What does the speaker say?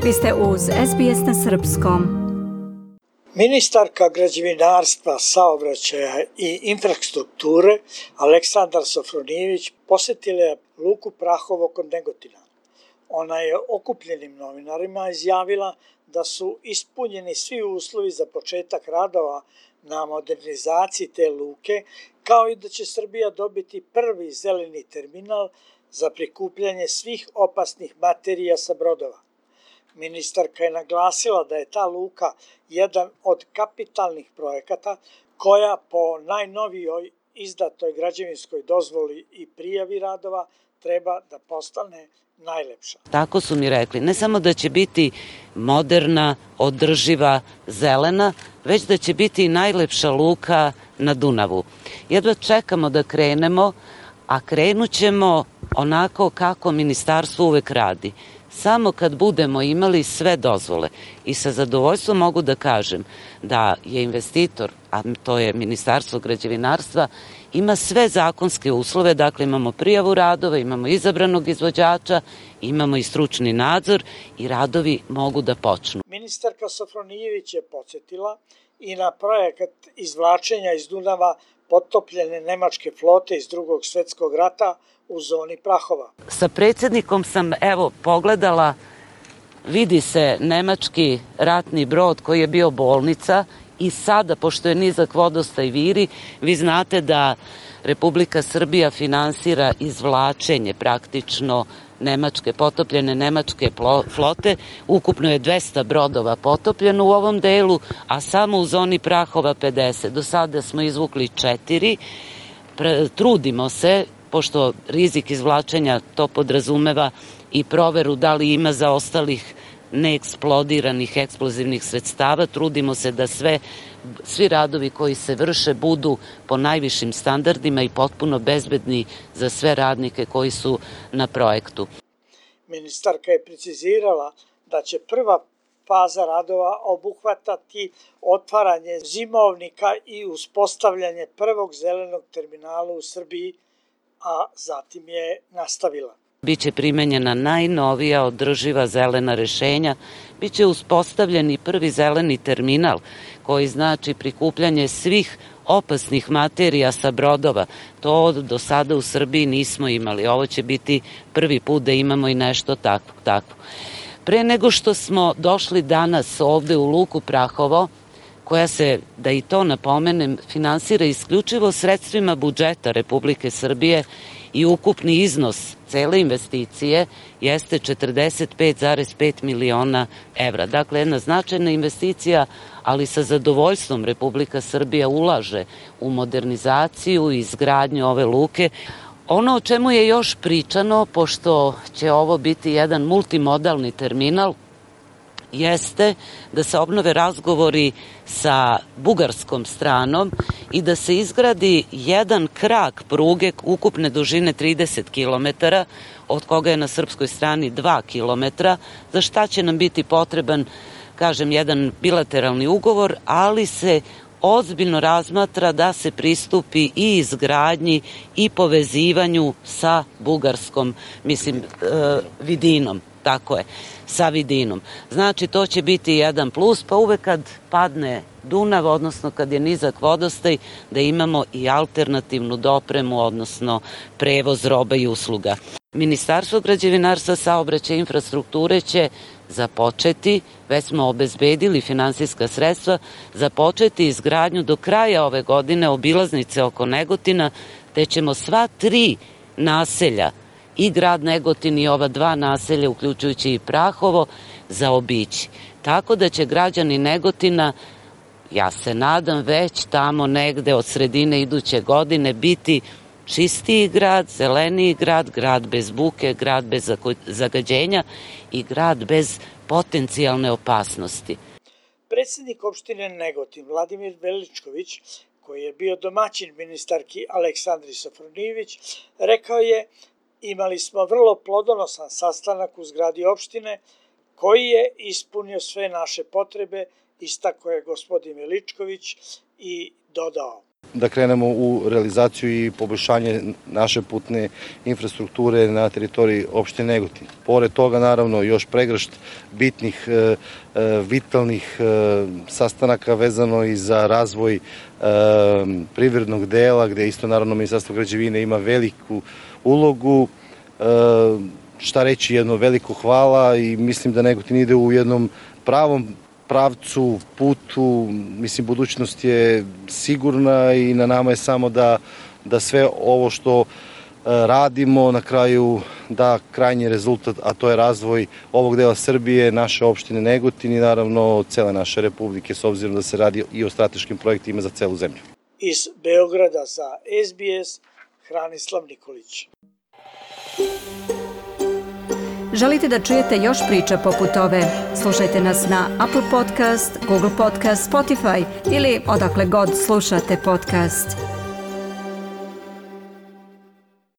Vi ste uz SBS na srpskom. Ministarka građevinarstva, saobraćaja i infrastrukture Aleksandra Sofronijević posjetila je luku Prahovo kod Negotina. Ona je okupljenim novinarima izjavila da su ispunjeni svi uslovi za početak radova na modernizaciji te luke, kao i da će Srbija dobiti prvi zeleni terminal za prikupljanje svih opasnih materija sa brodova. Ministarka je naglasila da je ta luka jedan od kapitalnih projekata koja po najnovijoj izdatoj građevinskoj dozvoli i prijavi radova treba da postane najlepša. Tako su mi rekli, ne samo da će biti moderna, održiva, zelena, već da će biti i najlepša luka na Dunavu. Jedva čekamo da krenemo, a krenut ćemo onako kako ministarstvo uvek radi. Samo kad budemo imali sve dozvole i sa zadovoljstvom mogu da kažem da je investitor, a to je Ministarstvo građevinarstva, ima sve zakonske uslove, dakle imamo prijavu radova, imamo izabranog izvođača, imamo i stručni nadzor i radovi mogu da počnu. Ministarka Sofronijević je podsjetila i na projekat izvlačenja iz Dunava potopljene nemačke flote iz Drugog svjetskog rata u zoni Prahova. Sa predsjednikom sam pogledala, vidi se nemački ratni brod koji je bio bolnica i sada, pošto je nizak vodostaj viri, vi znate da Republika Srbija finansira izvlačenje praktično potopljene nemačke flote. Ukupno je 200 brodova potopljeno u ovom delu, a samo u zoni Prahova 50. Do sada smo izvukli 4. Trudimo se, pošto rizik izvlačenja to podrazumeva i proveru da li ima zaostalih neeksplodiranih eksplozivnih sredstava, trudimo se da svi radovi koji se vrše budu po najvišim standardima i potpuno bezbedni za sve radnike koji su na projektu. Ministarka je precizirala da će prva faza radova obuhvatati otvaranje zimovnika i uspostavljanje prvog zelenog terminala u Srbiji, a zatim je nastavila. Biće primenjena najnovija održiva zelena rešenja, biće uspostavljen i prvi zeleni terminal koji znači prikupljanje svih opasnih materija sa brodova. To do sada u Srbiji nismo imali. Ovo će biti prvi put da imamo i nešto takvo. Pre nego što smo došli danas ovde u luku Prahovo, koja se, da i to napomenem, finansira isključivo sredstvima budžeta Republike Srbije i ukupni iznos cele investicije jeste 45,5 miliona evra. Dakle, jedna značajna investicija, ali sa zadovoljstvom Republika Srbija ulaže u modernizaciju i izgradnju ove luke. Ono o čemu je još pričano, pošto će ovo biti jedan multimodalni terminal, jeste da se obnove razgovori sa bugarskom stranom i da se izgradi jedan krak pruge ukupne dužine 30 km, od koga je na srpskoj strani 2 km, za šta će nam biti potreban, kažem, jedan bilateralni ugovor, ali se ozbiljno razmatra da se pristupi i izgradnji i povezivanju sa bugarskom, vidinom. Tako je, sa vidinom. Znači, to će biti jedan plus, pa uvek kad padne Dunav, odnosno kad je nizak vodostaj, da imamo i alternativnu dopremu, odnosno prevoz roba i usluga. Ministarstvo građevinarstva, saobraćaja i infrastrukture će započeti, već smo obezbedili finansijska sredstva, započeti izgradnju do kraja ove godine obilaznice oko Negotina, te ćemo sva 3 naselja, i grad Negotin i ova 2 naselja, uključujući i Prahovo, zaobići. Tako da će građani Negotina, ja se nadam, već tamo negde od sredine iduće godine biti čistiji grad, zeleniji grad, grad bez buke, grad bez zagađenja i grad bez potencijalne opasnosti. Predsjednik opštine Negotin Vladimir Veličković, koji je bio domaćin ministarki Aleksandri Sofronijević, rekao je: imali smo vrlo plodonosan sastanak u zgradi opštine koji je ispunio sve naše potrebe, istakao je gospodin Veličković i dodao: da krenemo u realizaciju i poboljšanje naše putne infrastrukture na teritoriji opštine Negotin. Pored toga, naravno, još pregršt bitnih, vitalnih sastanaka vezano i za razvoj privrednog dela, gde isto, naravno, Ministarstvo građevine ima veliku ulogu. Šta reći, jedno veliko hvala i mislim da Negotin ide u jednom pravom pravcu, putu, mislim, budućnost je sigurna i na nama je samo da sve ovo što radimo na kraju da krajnji rezultat, a to je razvoj ovog dela Srbije, naše opštine Negotin i naravno cele naše Republike, s obzirom da se radi i o strateškim projektima za celu zemlju. Iz Beograda za SBS, Hranislav Nikolić. Želite da čujete još priča poput ove? Slušajte nas na Apple Podcast, Google Podcast, Spotify ili odakle god slušate podcast.